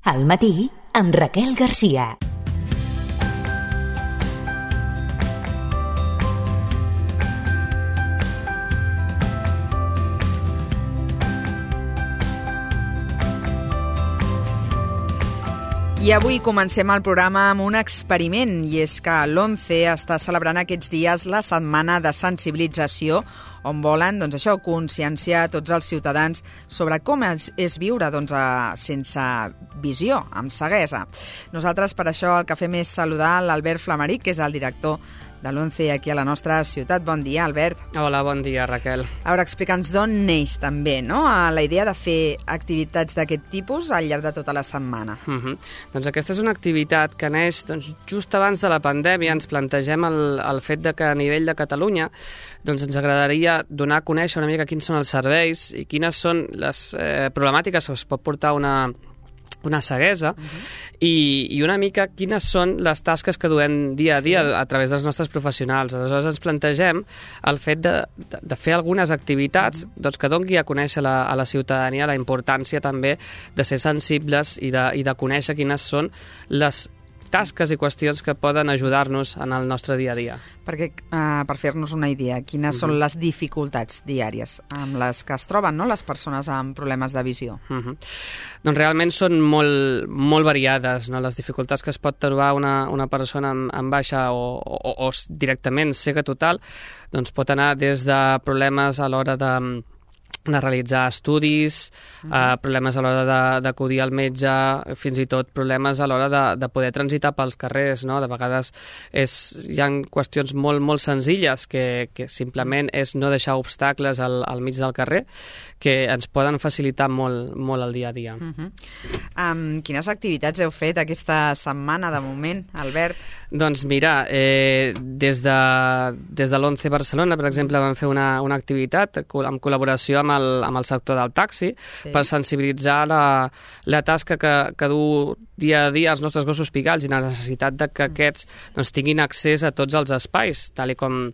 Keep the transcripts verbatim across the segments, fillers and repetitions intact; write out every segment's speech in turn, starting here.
Al matí, amb Raquel Garcia. I avui comencem el programa amb un experiment, i és que l'ONCE està celebrant aquests dies la setmana de sensibilització, on volen doncs, això, conscienciar tots els ciutadans sobre com és, és viure doncs, a, sense visió, amb ceguesa. Nosaltres per això el que fem és saludar l'Albert Flamaric, que és el director de l'ONCE aquí a la nostra ciutat. Bon dia, Albert. Hola, bon dia, Raquel. A veure, explica'ns d'on neix també, no?, la idea de fer activitats d'aquest tipus al llarg de tota la setmana. Uh -huh. Doncs aquesta és una activitat que neix doncs, just abans de la pandèmia. Ens plantegem el, el fet de que a nivell de Catalunya doncs, ens agradaria donar a conèixer una mica quins són els serveis i quines són les eh, problemàtiques que es pot portar una una ceguesa, uh-huh. i, i una mica quines són les tasques que duem dia a dia sí. a través dels nostres professionals. Aleshores ens plantegem el fet de, de, de fer algunes activitats uh-huh. doncs, que doni a conèixer la, a la ciutadania la importància també de ser sensibles i de, i de conèixer quines són les tasques i qüestions que poden ajudar-nos en el nostre dia a dia. Perquè, uh, per fer-nos una idea, quines uh-huh. són les dificultats diàries amb les que es troben, no?, les persones amb problemes de visió? Uh-huh. Doncs realment són molt, molt variades, no?, les dificultats que es pot trobar una, una persona amb, amb baixa o, o, o directament cega total, doncs pot anar des de problemes a l'hora de de realitzar estudis, uh -huh. eh, problemes a l'hora d'acudir al metge, fins i tot problemes a l'hora de, de poder transitar pels carrers, no? De vegades és, hi ha qüestions molt, molt senzilles que, que simplement és no deixar obstacles al, al mig del carrer que ens poden facilitar molt, molt el dia a dia. Uh -huh. um, quines activitats heu fet aquesta setmana de moment, Albert? Doncs mira, eh, des de, des de l'ONCE Barcelona, per exemple, vam fer una, una activitat en col·laboració amb el, amb el sector del taxi sí. per sensibilitzar la, la tasca que, que du dia a dia els nostres gossos pigals i la necessitat de que aquests doncs, tinguin accés a tots els espais, tal i com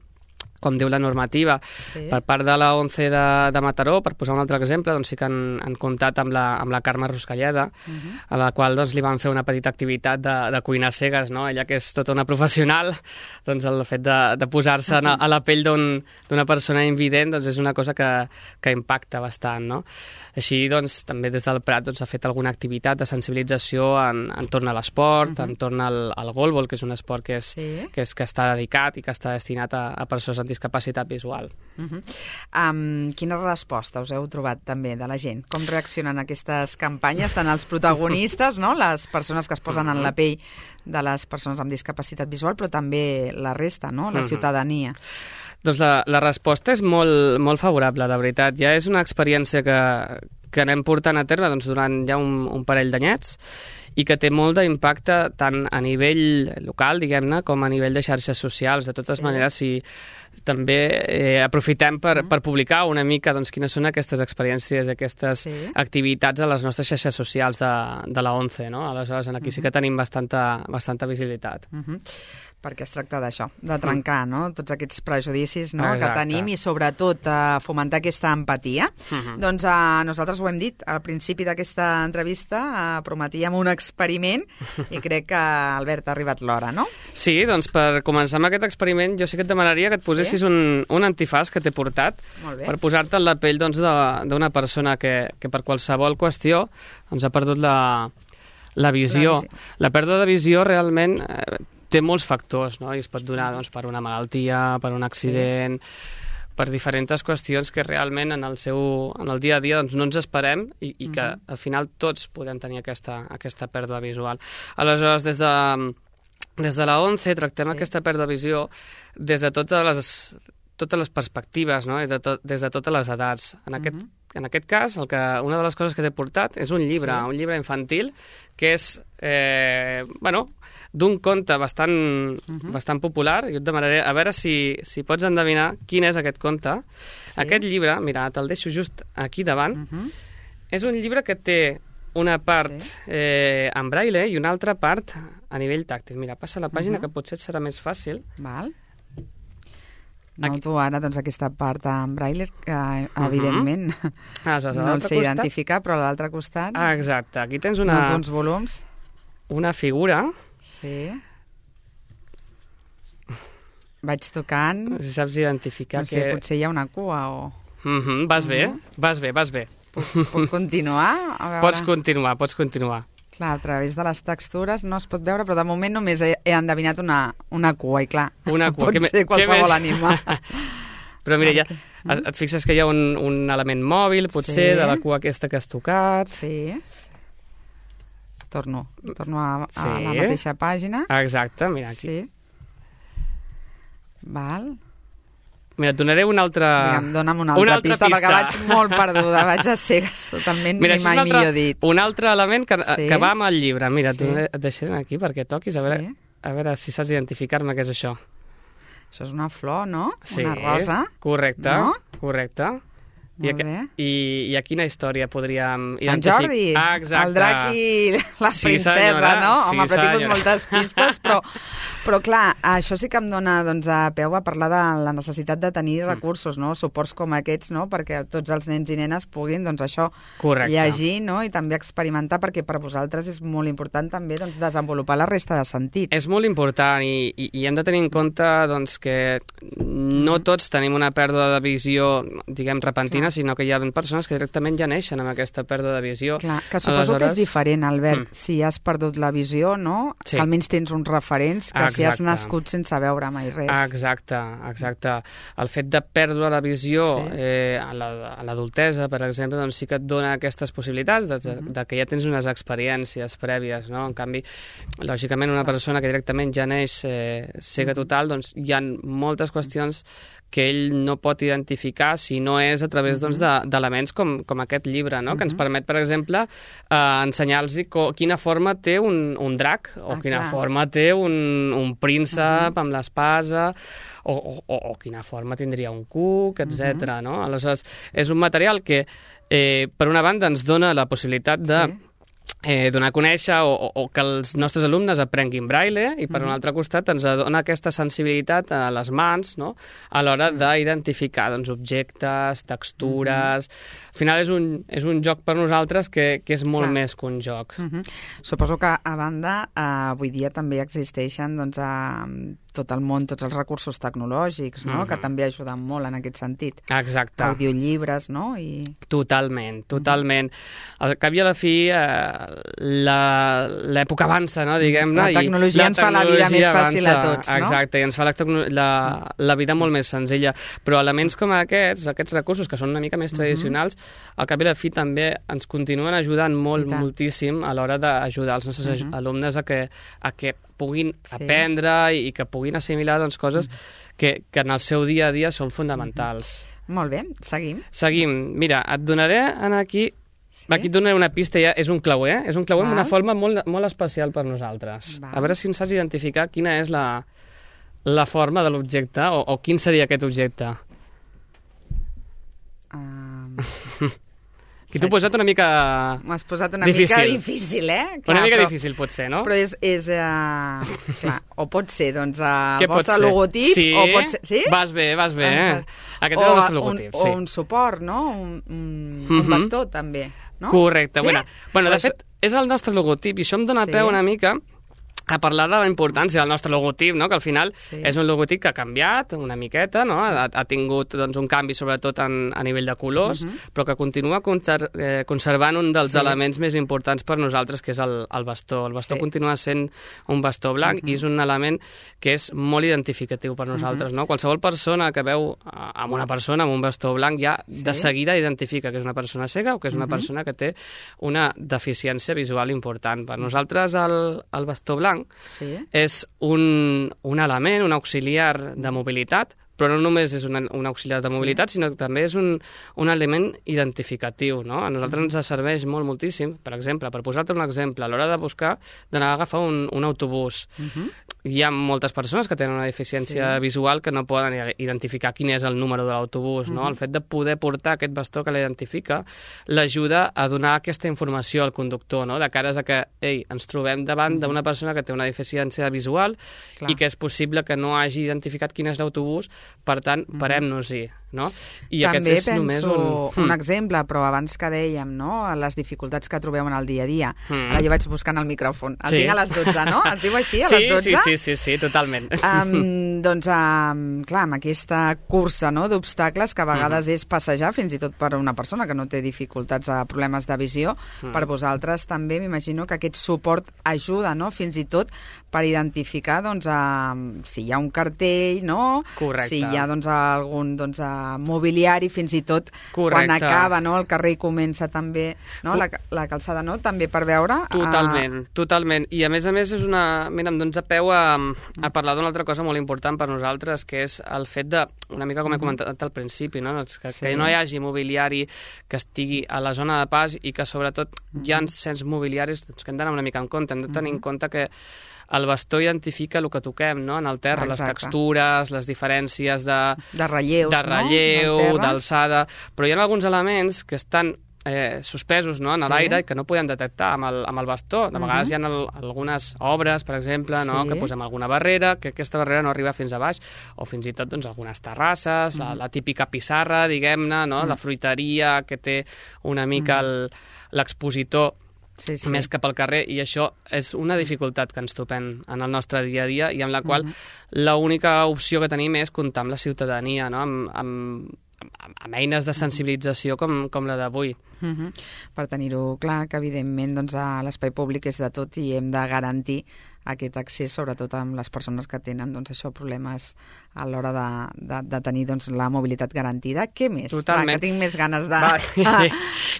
com diu la normativa. Sí. Per part de la ONCE de, de Mataró, per posar un altre exemple, doncs sí que han, han comptat amb la, amb la Carme Ruscalleda, uh-huh. a la qual doncs, li van fer una petita activitat de, de cuinar cegues, no? Ella que és tota una professional, doncs el fet de, de posar-se uh-huh. a la pell d'una persona invident doncs, és una cosa que, que impacta bastant, no? Així, doncs, també des del Prat doncs, ha fet alguna activitat de sensibilització en, entorn a l'esport, uh-huh. entorn al, al golbol, que és un esport que, és, sí. que, és, que està dedicat i que està destinat a, a persones amb discapacitat visual. Uh-huh. um, quines respostes us heu trobat també de la gent? Com reaccionen aquestes campanyes, tant els protagonistes, no? Les persones que es posen uh-huh. en la pell de les persones amb discapacitat visual, però també la resta, no? La uh-huh. ciutadania. Doncs la, la resposta és molt, molt favorable, de veritat. Ja és una experiència que, que anem portant a terme doncs, durant ja un, un parell d'anyets i que té molt d'impacte tant a nivell local, diguem-ne, com a nivell de xarxes socials. De totes sí. maneres, si també eh, aprofitem per, per publicar una mica doncs, quines són aquestes experiències, aquestes sí. activitats a les nostres xarxes socials de, de la ONCE, no? Aleshores, aquí uh-huh. sí que tenim bastanta, bastanta visibilitat. Uh-huh. Perquè es tracta d'això, de trencar, no?, tots aquests prejudicis, no?, Exacte. que tenim i sobretot eh, fomentar aquesta empatia. Uh-huh. Doncs eh, nosaltres ho hem dit al principi d'aquesta entrevista, eh, prometíem un experiment i crec que, Albert, ha arribat l'hora, no? Sí, doncs per començar amb aquest experiment jo sí que et demanaria que et posessis sí? un, un antifàs que t'he portat per posar-te en la pell doncs, d'una persona que, que per qualsevol qüestió doncs, ha perdut la, la visió. La, visió. La pèrdua de visió realment eh, té molts factors, no? I es pot donar doncs, per una malaltia, per un accident, sí. per diferents qüestions que realment en el, seu, en el dia a dia doncs, no ens esperem i, i que uh-huh. al final tots podem tenir aquesta, aquesta pèrdua visual. Aleshores, des de, des de la ONCE tractem sí. aquesta pèrdua de visió des de totes les, totes les perspectives, no? I de to, des de totes les edats. En aquest, uh-huh. en aquest cas, el que, una de les coses que t'he portat és un llibre, sí. un llibre infantil que és, eh, bueno, d'un conte bastant, uh-huh. bastant popular. Jo et demanaré a veure si, si pots endevinar quin és aquest conte. Sí. Aquest llibre, mira, te'l deixo just aquí davant, uh-huh. és un llibre que té una part sí. eh, en braille i una altra part a nivell tàctil. Mira, passa la pàgina uh-huh. que potser et serà més fàcil. Val. Noto ara doncs, aquesta part en braille que, evidentment, uh -huh. ah, no el sé costat? Identificar, però a l'altre costat... Ah, exacte. Aquí tens una... Noto uns volums. Una figura. Sí. Vaig tocant... Si saps identificar no sé, que... potser hi ha una cua o... Uh -huh. Vas uh -huh. bé, vas bé, vas bé. Puc, puc continuar? A veure... Pots continuar, pots continuar. Clar, a través de les textures no es pot veure, però de moment només he, he endevinat una, una cua, i clar, una cua. pot que ser qualsevol animal. Però mira, ja, et fixes que hi ha un, un element mòbil, potser, sí. de la cua aquesta que has tocat. Sí. Torno, torno a, a sí. la mateixa pàgina. Exacte, mira aquí. Sí. Val. Mira, et donaré una altra... Digue'm, dona'm una altra, una altra pista, pista, perquè vaig molt perduda, vaig a cegues, totalment, mira, ni mai altre, millor dit. Un altre element que, sí? que va amb el llibre. Mira, sí. et deixaré aquí perquè toquis, a veure, sí. a veure si saps identificar-me què és això. Això és una flor, no? Sí, una rosa. Correcte, no? correcte. I a, bé. I, I a quina història podríem Sant Jordi, ah, el drac i la sí, princesa, senyora. no? Sí, home, però he tingut senyora. moltes pistes, però, però clar, això sí que em dona doncs, a peu a parlar de la necessitat de tenir recursos, no? Suports com aquests, no? Perquè tots els nens i nenes puguin, doncs això, correcte. llegir, no? I també experimentar, perquè per vosaltres és molt important també doncs, desenvolupar la resta de sentits. És molt important i, i, i hem de tenir en compte doncs, que no tots tenim una pèrdua de visió, diguem, repentina, clar. sinó que hi ha persones que directament ja neixen amb aquesta pèrdua de visió. Clar, que suposo Aleshores... que és diferent, Albert, mm. si has perdut la visió, no? Sí. Que almenys tens uns referents, que exacte. Si has nascut sense veure mai res. Exacte, exacte. El fet de perdre la visió sí. eh, a l'adultesa, per exemple, doncs sí que et dona aquestes possibilitats de, de, de que ja tens unes experiències prèvies, no? En canvi, lògicament, una persona que directament ja neix eh, cega total, doncs hi ha moltes qüestions que ell no pot identificar si no és a través doncs, d'elements de, com, com aquest llibre, no? Uh -huh. que ens permet, per exemple, eh, ensenyar-los quina forma té un, un drac o ah, quina clar. forma té un, un príncep uh -huh. amb l'espasa o, o, o, o quina forma tindria un cuc, etcètera. Uh -huh. no? Aleshores, és un material que, eh, per una banda, ens dona la possibilitat de sí. Eh, donar a conèixer o, o, o que els nostres alumnes aprenguin braille i per mm. un altre costat ens dona aquesta sensibilitat a les mans, no? A l'hora mm. d'identificar doncs, objectes, textures... Mm. Al final és un, és un joc per nosaltres que, que és molt Clar. més que un joc. Mm -hmm. Suposo que, a banda, eh, avui dia també existeixen doncs, a tot el món, tots els recursos tecnològics, no? Mm -hmm. que també ajuden molt en aquest sentit. Exacte. Audiollibres, no? I... Totalment, totalment. Al cap i a la fi, eh, l'època avança, no? Diguem-ne. La tecnologia i ens la tecnologia fa la vida més fàcil avança. a tots, no? Exacte, i ens fa la, la, la vida molt més senzilla. Però elements com aquests, aquests recursos, que són una mica més tradicionals, mm-hmm. al cap i a la fi també ens continuen ajudant molt, moltíssim a l'hora d'ajudar els nostres mm-hmm. alumnes a que, a que puguin sí. aprendre i que puguin assimilar doncs, coses mm-hmm. que, que en el seu dia a dia són fonamentals. Mm-hmm. Molt bé, seguim. Seguim. Mira, et donaré aquí... Sí? Aquí et donaré una pista, ja és un clauer, eh? És un clauer Val. amb una forma molt, molt especial per nosaltres. Val. A veure si ens saps identificar quina és la, la forma de l'objecte o, o quin seria aquest objecte. Um... Aquí t'ho he posat una mica... M'has posat una difícil. mica difícil, eh? Clar, una mica però, difícil pot ser, no? Però és... és uh, clar, o pot ser, doncs, uh, el Què vostre logotip, sí? o pot ser... Sí? Vas bé, vas bé. Eh? Aquest és el nostre logotip, un, sí. O un suport, no? Un, un, mm-hmm. un bastó, també, no? Correcte. Sí? Bueno, bueno de pues... fet, és el nostre logotip i això em dona sí. peu una mica a parlar de la importància del nostre logotip, no? Que al final sí. és un logotip que ha canviat una miqueta, no? ha, ha tingut doncs, un canvi sobretot en, a nivell de colors, uh -huh. però que continua conser eh, conservant un dels sí. elements més importants per nosaltres, que és el, el bastó. El bastó sí. continua sent un bastó blanc uh -huh. i és un element que és molt identificatiu per nosaltres. Uh -huh. no? Qualsevol persona que veu amb una persona amb un bastó blanc ja sí. de seguida identifica que és una persona cega o que és una uh -huh. persona que té una deficiència visual important. Per nosaltres el, el bastó blanc Sí. és un, un element, un auxiliar de mobilitat, però no només és un, un auxiliar de mobilitat, sí. sinó que també és un, un element identificatiu, no? A nosaltres ens serveix molt, moltíssim, per exemple, per posar-te un exemple, a l'hora de buscar, d'anar a agafar un, un autobús. Uh-huh. hi ha moltes persones que tenen una deficiència sí. visual que no poden identificar quin és el número de l'autobús, no? Uh -huh. El fet de poder portar aquest bastó que l'identifica l'ajuda a donar aquesta informació al conductor, no? De cares a que, ei, ens trobem davant uh -huh. d'una persona que té una deficiència visual Clar. I que és possible que no hagi identificat quin és l'autobús, per tant, parem-nos-hi, no? I També és penso només un... un exemple, però abans que dèiem, no?, les dificultats que trobeu en el dia a dia. Mm. Ara jo vaig buscant el micròfon. El sí. tinc a les dotze, no? Es diu així, a sí, les dotze? Sí, sí, sí, sí, totalment. Um, doncs, um, clar, amb aquesta cursa, no?, d'obstacles, que a vegades mm. és passejar, fins i tot per una persona que no té dificultats a problemes de visió, mm. per vosaltres també m'imagino que aquest suport ajuda, no?, fins i tot per identificar, doncs, uh, si hi ha un cartell, no? Correcte. Si hi ha, doncs, algun, doncs, uh, mobiliari, fins i tot Correcte. Quan acaba, no?, el carrer i comença també, no?, la, la calçada, no?, també per veure... Totalment, uh... totalment. I a més a més és una... Mira, em dones a peu a, a parlar d'una altra cosa molt important per nosaltres, que és el fet de, una mica com he comentat al principi, no?, que, sí. que no hi hagi mobiliari que estigui a la zona de pas i que sobretot hi ha certs mobiliaris doncs, que hem d'anar una mica en compte. Hem de tenir en compte que el bastó identifica el que toquem, no?, en el terra, Exacte. Les textures, les diferències de... De relleus, de relleu, no?, d'alçada, però hi ha alguns elements que estan eh, suspesos, no?, en sí. l'aire i que no podem detectar amb el, amb el bastó. De vegades uh -huh. hi ha el, algunes obres, per exemple, no?, sí. que posem alguna barrera, que aquesta barrera no arriba fins a baix, o fins i tot doncs, algunes terrasses, uh -huh. la, la típica pissarra, diguem-ne, no?, uh -huh. la fruiteria, que té una mica uh -huh. l'expositor Sí, sí. més cap al carrer, i això és una dificultat que ens topem en el nostre dia a dia i amb la qual uh-huh. l'única opció que tenim és comptar amb la ciutadania, no?, amb, amb, amb, amb eines de sensibilització com, com la d'avui. Uh-huh. Per tenir-ho clar, que evidentment doncs, l'espai públic és de tot i hem de garantir aquest accés, sobretot amb les persones que tenen doncs, això, problemes a l'hora de, de, de tenir doncs, la mobilitat garantida. Què més? Totalment. Va, que tinc més ganes de... Va,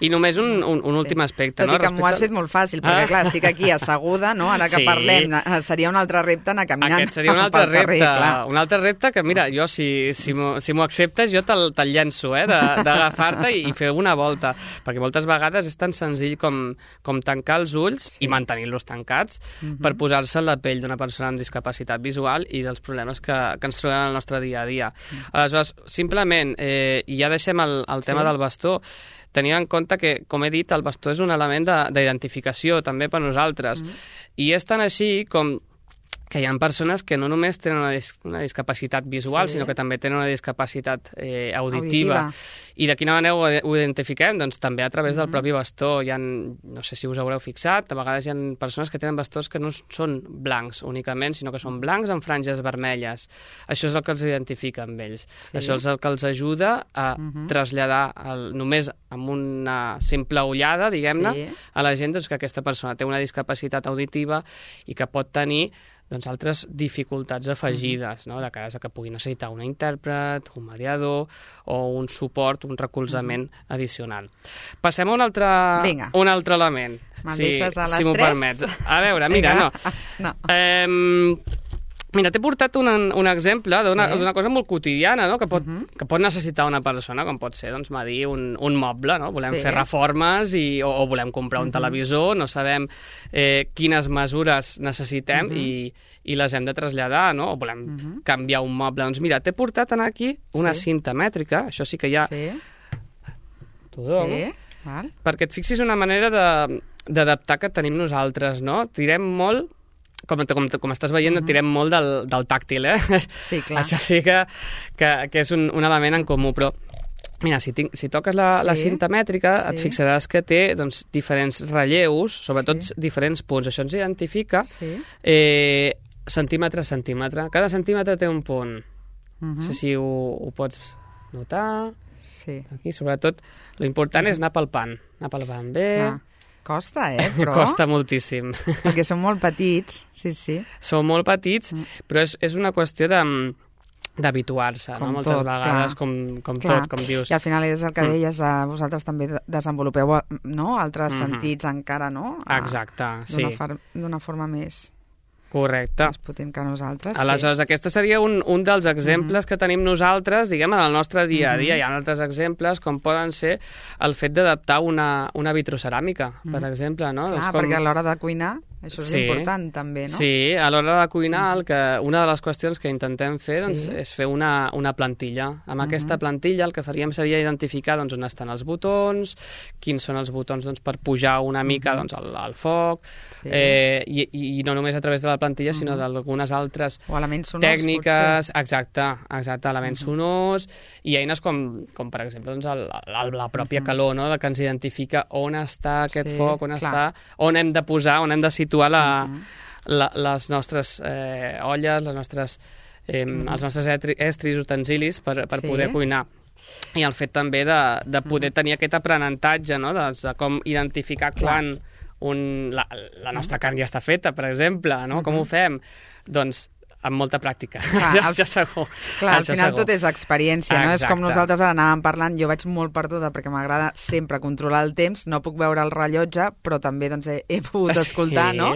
I només un, un, un sí. últim aspecte. Tot no? i que m'ho has fet molt fàcil, perquè ah. clar, estic aquí asseguda, no? Ara que sí. parlem, seria un altre repte anar caminant. Aquest seria un altre repte, carrer, un altre repte que, mira, jo, si, si m'ho si acceptes, jo te'l te llenço, eh, d'agafar-te i, i fer una volta, perquè moltes vegades és tan senzill com, com tancar els ulls sí. i mantenir-los tancats uh-huh. per posar-se en la pell d'una persona amb discapacitat visual i dels problemes que, que ens trobem al nostre dia a dia. Uh-huh. Aleshores, simplement, eh, ja deixem el, el tema sí. del bastó, tenint en compte que, com he dit, el bastó és un element d'identificació també per nosaltres. Uh-huh. I és tan així com que hi ha persones que no només tenen una, dis una discapacitat visual, sí. sinó que també tenen una discapacitat eh, auditiva. auditiva. I de quina manera ho, ho identifiquem? Doncs també a través mm-hmm. del propi bastó. Hi ha, no sé si us haureu fixat, a vegades hi ha persones que tenen bastons que no són blancs únicament, sinó que són blancs amb franges vermelles. Això és el que els identifica amb ells. Sí. Això és el que els ajuda a mm-hmm. traslladar el, només amb una simple ullada, diguem-ne, sí. a la gent doncs, que aquesta persona té una discapacitat auditiva i que pot tenir doncs, altres dificultats afegides, no? De cara a que pugui necessitar un intèrpret, un mediador o un suport, un recolzament uh-huh. addicional. Passem a un altre, un altre element. Me'n si, deixes a les si m'ho permets. A veure, mira, no. no. Eh, Mira, t'he portat un, un exemple d'una sí. cosa molt quotidiana, no?, que pot, uh-huh. que pot necessitar una persona, com pot ser, doncs, medir un, un moble, no? Volem sí. fer reformes i, o, o volem comprar un uh-huh. televisor, no sabem eh, quines mesures necessitem uh-huh. i, i les hem de traslladar, no?, o volem uh-huh. canviar un moble. Doncs mira, t'he portat aquí una sí. cinta mètrica, això sí que ja... Sí. T'ho dono. Sí. Val. Perquè et fixis una manera d'adaptar que tenim nosaltres, no? Tirem molt... Com, com, com estàs veient, uh-huh. tirem molt del, del tàctil, eh? Sí, clar. Això sí que, que, que és un, un element en comú, però mira, si, tinc, si toques la, sí. la cinta mètrica, sí. et fixaràs que té doncs, diferents relleus, sobretot sí. diferents punts. Això ens identifica sí. eh, centímetre a centímetre. Cada centímetre té un punt. Uh-huh. No sé si ho, ho pots notar. Sí. Aquí, sobretot, l'important uh-huh. és anar palpant. Anar palpant bé... Ah. Costa, eh, però... Costa moltíssim. Perquè són molt petits, sí, sí. Són molt petits, mm. però és, és una qüestió de d'habituar-se, no? Moltes tot, vegades, clar. com, com tot, com dius. I al final és el que deies, mm. vosaltres també desenvolupeu, no?, altres mm-hmm. sentits encara, no? A, Exacte, sí. D'una forma més... Correcte. Més potent que nosaltres, Aleshores, sí. aquest seria un, un dels exemples mm-hmm. que tenim nosaltres, diguem, en el nostre dia a dia. Mm-hmm. Hi ha altres exemples, com poden ser el fet d'adaptar una, una vitroceràmica, mm-hmm. per exemple, no? Clar, doncs com... perquè a l'hora de cuinar Això és sí. important, també, no? Sí, a l'hora de cuinar, el que, una de les qüestions que intentem fer doncs, sí. és fer una, una plantilla. Amb uh-huh. aquesta plantilla el que faríem seria identificar doncs, on estan els botons, quins són els botons doncs, per pujar una mica doncs, al, al foc, sí. eh, i, i no només a través de la plantilla, uh-huh. sinó d'algunes altres o elements sonors, tècniques, exacte, exacte, elements uh-huh. sonors, i eines com, com per exemple, doncs, el, el, la pròpia uh-huh. calor, no? Que ens identifica on està aquest sí, foc, on clar. està, on hem de posar, on hem de situar la, uh-huh. la, les nostres eh, olles, les nostres, eh, uh-huh. els nostres etri, estris, utensilis per, per sí. poder cuinar. I el fet també de, de poder uh-huh. tenir aquest aprenentatge, no? de, de com identificar clar. quan un, la, la nostra carn ja està feta, per exemple, no? Uh-huh. Com ho fem? Doncs amb molta pràctica, clar, al, això segur. Clar, al final segur. Tot és experiència, no? Exacte. És com nosaltres ara anàvem parlant, jo vaig molt perduda perquè m'agrada sempre controlar el temps, no puc veure el rellotge, però també doncs, he, he pogut escoltar, sí. no?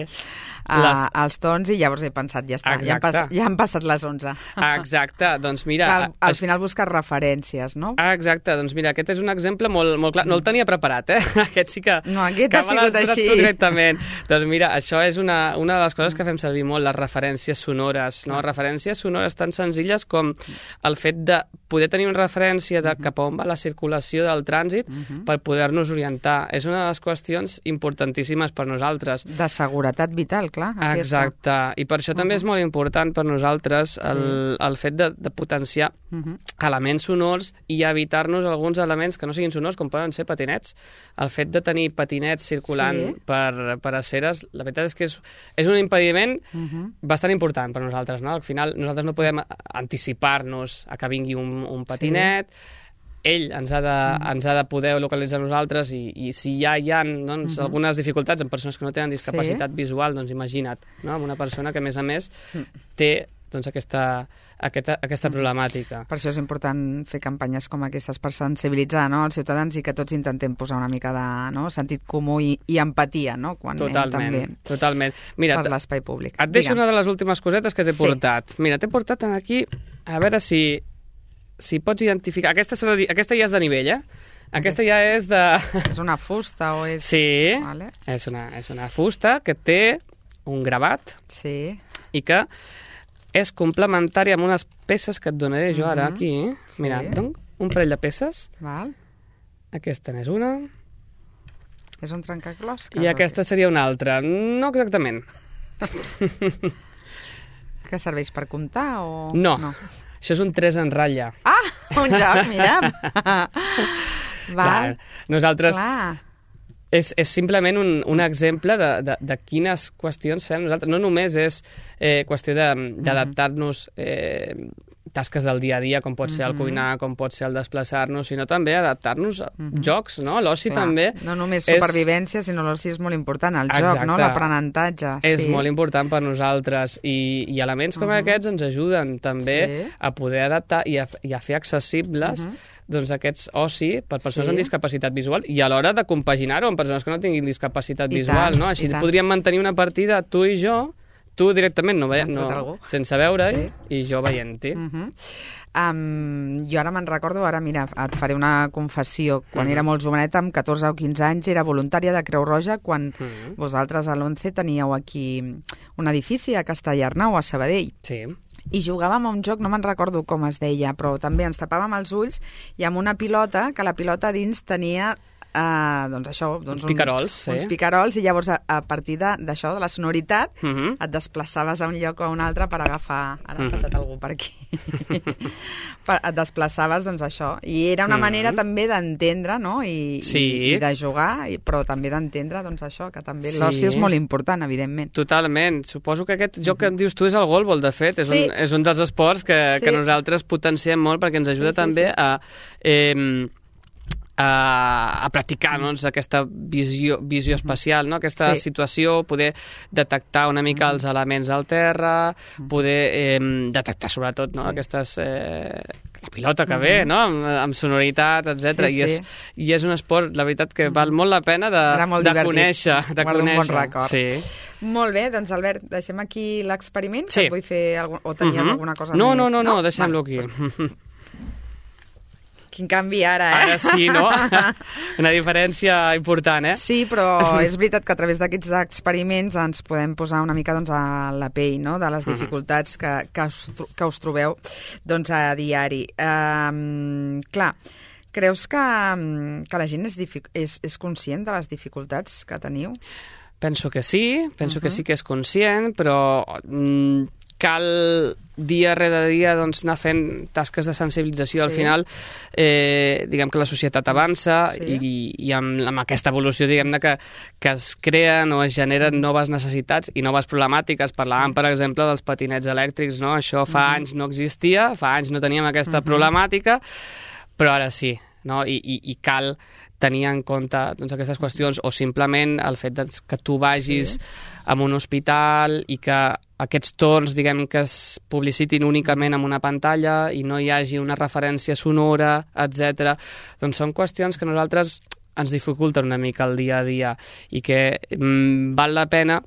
Uh, les... els tons i llavors he pensat, ja està, ja han, pas, ja han passat les onze. Exacte, doncs mira... Al, al es... final buscar referències, no? Exacte, doncs mira, aquest és un exemple molt, molt clar, no el tenia preparat, eh? Aquest sí que... No, aquest ha sigut així. Directament. Doncs mira, això és una, una de les coses que fem servir molt, les referències sonores, no? Referències sonores tan senzilles com el fet de poder tenir una referència de cap a on va la circulació del trànsit uh-huh. per poder-nos orientar. És una de les qüestions importantíssimes per nosaltres. De seguretat vital, clar. Exacte, i per això uh-huh. també és molt important per nosaltres el, sí. el fet de, de potenciar uh-huh. elements sonors i evitar-nos alguns elements que no siguin sonors, com poden ser patinets. El fet de tenir patinets circulant sí. per, per aceres, la veritat és que és, és un impediment uh-huh. bastant important per nosaltres, no? Al final nosaltres no podem anticipar-nos a que vingui un, un patinet, sí. ell ens ha, de, mm. ens ha de poder localitzar nosaltres i, i si ja hi ha doncs, mm-hmm. algunes dificultats en persones que no tenen discapacitat sí. visual, doncs imagina't, no? Amb una persona que a més a més té doncs, aquesta, aquesta, aquesta problemàtica. Per això és important fer campanyes com aquestes per sensibilitzar, no?, els ciutadans i que tots intentem posar una mica de, no?, sentit comú i, i empatia, no?, quan totalment, anem també totalment. Mira, per l'espai públic. Et deixo Digue'm. Una de les últimes cosetes que t'he sí. portat. Mira, t'he portat aquí, a veure si si pots identificar... Aquesta, aquesta ja és de nivell, eh? Aquesta ja és de... És una fusta o és... Sí, vale. és, una, és una fusta que té un gravat sí. i que és complementària amb unes peces que et donaré jo ara aquí. Sí. Mira, donc, un parell de peces. Val. Aquesta n'és una. És un trencaclosques? I aquesta seria una altra. No exactament. Que serveix per comptar o...? No. no. Això és un tres en ratlla. Ah, un joc, mira. Val. Nosaltres... Clar. És, és simplement un, un exemple de, de, de quines qüestions fem nosaltres. No només és eh, qüestió d'adaptar-nos eh, tasques del dia a dia, com pot ser el cuinar, com pot ser el desplaçar-nos, sinó també adaptar-nos a uh-huh. jocs, no? L'oci també... No només supervivència, és... sinó l'oci és molt important, el Exacte. joc, no? L'aprenentatge. És sí. molt important per nosaltres i, i elements com uh-huh. aquests ens ajuden també sí. a poder adaptar i a, i a fer accessibles uh-huh. doncs aquests oci per persones sí. amb discapacitat visual i a l'hora de compaginar-ho amb persones que no tinguin discapacitat I visual, tant, no? Així podríem mantenir una partida tu i jo, tu directament no, ve, no sense veure-hi sí. i jo veient-hi. Uh-huh. um, jo ara me'n recordo, ara mira, et faré una confessió. Quan uh-huh. era molt joveneta, amb catorze o quinze anys, era voluntària de Creu Roja quan uh-huh. vosaltres a l'once teníeu aquí un edifici a Castellarnau, a Sabadell. Sí. I jugàvem a un joc, no me'n recordo com es deia, però també ens tapàvem els ulls i amb una pilota, que la pilota dins tenia Uh, doncs això, doncs uns picarols, un, sí. uns picarols i llavors a, a partir d'això, de, de la sonoritat, uh-huh. et desplaçaves a un lloc o a un altre per agafar... Ara uh-huh. ha passat algú per aquí. per, et desplaçaves, doncs això. I era una uh-huh. manera també d'entendre, no?, i, sí. i, i de jugar, i, però també d'entendre, doncs això, que també sí. l'oci és molt important, evidentment. Totalment. Suposo que aquest joc que em dius tu és el golbol, de fet. És, sí. un, és un dels esports que, sí. que nosaltres potenciem molt perquè ens ajuda sí, sí, també sí. a... Eh, a, a practicar doncs, aquesta visió, visió espacial, no? Aquesta sí. situació, poder detectar una mica els elements al terra, poder eh, detectar sobretot no? sí. aquestes... Eh, la pilota que ve, no? amb, amb sonoritat, etcètera. Sí, I, és, sí. I és un esport, la veritat, que val molt la pena de, de conèixer. De Guardo conèixer. un bon record. Sí. Molt bé, doncs Albert, deixem aquí l'experiment, sí. que vull fer algun... o tenies uh-huh. alguna cosa no, més? No, no, no, no deixem-lo aquí. quin canvi ara, eh? Ara sí, no? Una diferència important, eh? Sí, però és veritat que a través d'aquests experiments ens podem posar una mica doncs, a la pell, no?, de les dificultats que, que, us, que us trobeu doncs, a diari. Um, clar, creus que, que la gent és, és, és conscient de les dificultats que teniu? Penso que sí, penso uh-huh. que sí que és conscient, però mm, cal dia rere dia doncs, anar fent tasques de sensibilització. Sí. Al final, eh, diguem que la societat avança sí. i, i amb, amb aquesta evolució, diguem-ne, que, que es creen o es generen noves necessitats i noves problemàtiques. Parlàvem, per exemple, dels patinets elèctrics, no? Això fa uh-huh. anys no existia, fa anys no teníem aquesta uh-huh. problemàtica, però ara sí, no? I, i, i cal tenir en compte doncs, aquestes qüestions, o simplement el fet doncs, que tu vagis sí. a un hospital i que aquests torns, diguem, que es publicitin únicament en una pantalla i no hi hagi una referència sonora, etcètera. Doncs són qüestions que a nosaltres ens dificulten una mica el dia a dia i que mm, val la pena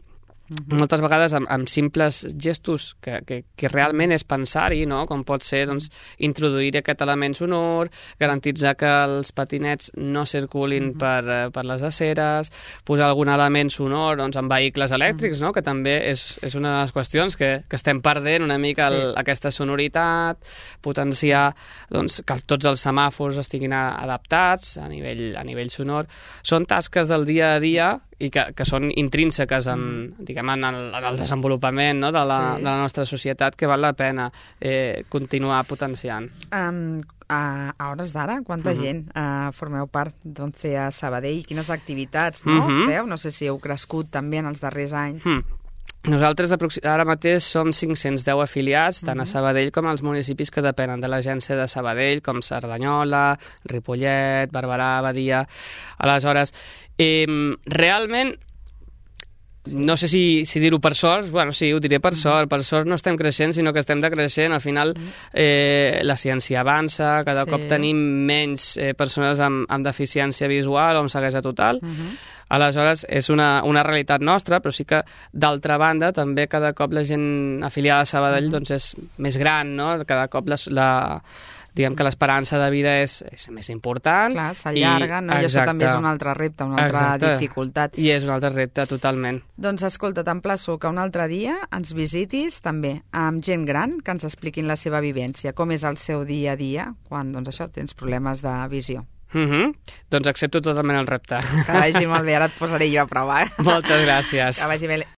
Uh-huh. moltes vegades amb, amb simples gestos que, que, que realment és pensar-hi, no? Com pot ser doncs, introduir aquest element sonor, garantitzar que els patinets no circulin uh-huh. per, per les aceres, posar algun element sonor doncs, en vehicles elèctrics, uh-huh. no? Que també és, és una de les qüestions que, que estem perdent una mica el, sí. aquesta sonoritat, potenciar doncs, que tots els semàfors estiguin adaptats a nivell, a nivell sonor. Són tasques del dia a dia i que, que són intrínseques en, diguem, en, el, en el desenvolupament, no? de, la, sí. de la nostra societat, que val la pena eh, continuar potenciant. Um, a, a hores d'ara, quanta uh-huh. gent uh, formeu part d'Once a Sabadell? Quines activitats no? uh-huh. feu? No sé si heu crescut també en els darrers anys. Uh-huh. Nosaltres ara mateix som cinc-cents deu afiliats, tant uh-huh. a Sabadell com als municipis que depenen de l'agència de Sabadell, com Cerdanyola, Ripollet, Barberà, Badia. Aleshores, eh, realment, no sé si, si dir-ho per sort, bueno, sí, ho diré per sort, per sort no estem creixent, sinó que estem decreixent. Al final eh, la ciència avança, cada sí. cop tenim menys eh, persones amb, amb deficiència visual o amb ceguesa total. Uh-huh. Aleshores, és una, una realitat nostra, però sí que, d'altra banda, també cada cop la gent afiliada a Sabadell uh-huh. doncs és més gran, no? Cada cop les, la, diguem que l'esperança de vida és, és més important. Clar, s'allarga, no? I això també és un altre repte, una altra exacte. dificultat. I és un altre repte, totalment. Doncs escolta, t'emplaço que un altre dia ens visitis també amb gent gran que ens expliquin la seva vivència, com és el seu dia a dia quan, doncs això, tens problemes de visió. Mm-hmm. Doncs accepto totalment el repte. Que vagi molt bé, ara et posaré jo a prova. Moltes gràcies. Que vagi bé.